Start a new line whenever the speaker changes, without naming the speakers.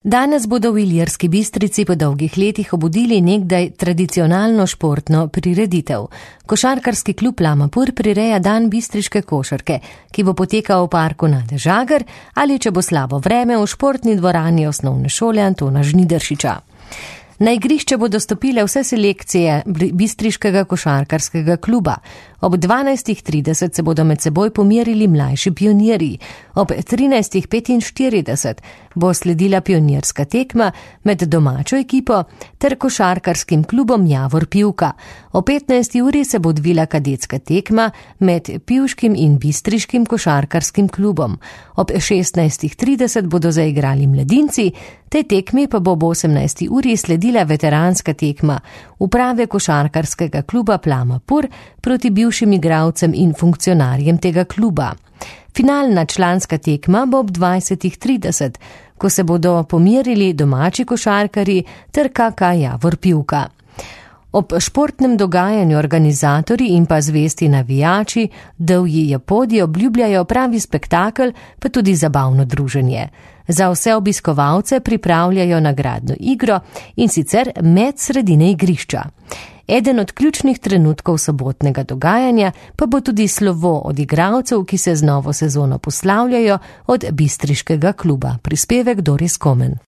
Danes bodo v Ilirski Bistrici po dolgih letih obudili nekdaj tradicionalno športno prireditev. Košarkarski klub Lamapur prireja dan bistriške košarke, ki bo potekal v parku Nade Žagar ali, če bo slabo vreme, v športni dvorani osnovne šole Antona Žnidaršiča. Na igrišče bodo stopile vse selekcije bistriškega košarkarskega kluba. Ob 12:30 se bodo med seboj pomerili mlajši pionirji. Ob 13:45 bo sledila pionirska tekma med domačo ekipo ter košarkarskim klubom Javor Pivka. O 15. uri se bo odvila kadetska tekma med pivškim in bistriškim košarkarskim klubom. Ob 16:30 bodo zaigrali mladinci, tej tekmi pa bo ob 18. uri sledila veteranska tekma uprave košarkarskega kluba Lamapur proti bivšim igralcem in funkcionarjem tega kluba. Finalna članska tekma bo ob 20:30, ko se bodo pomerili domači košarkarji ter KK Javor Pivka. Ob športnem dogajanju organizatorji in pa zvesti navijači Divji Japodji obljubljajo pravi spektakel, pa tudi zabavno druženje. Za vse obiskovalce pripravljajo nagradno igro, in sicer med sredine igrišča. Eden od ključnih trenutkov sobotnega dogajanja pa bo tudi slovo od igralcev, ki se z novo sezono poslavljajo od bistriškega kluba. Prispevek Doris Komen.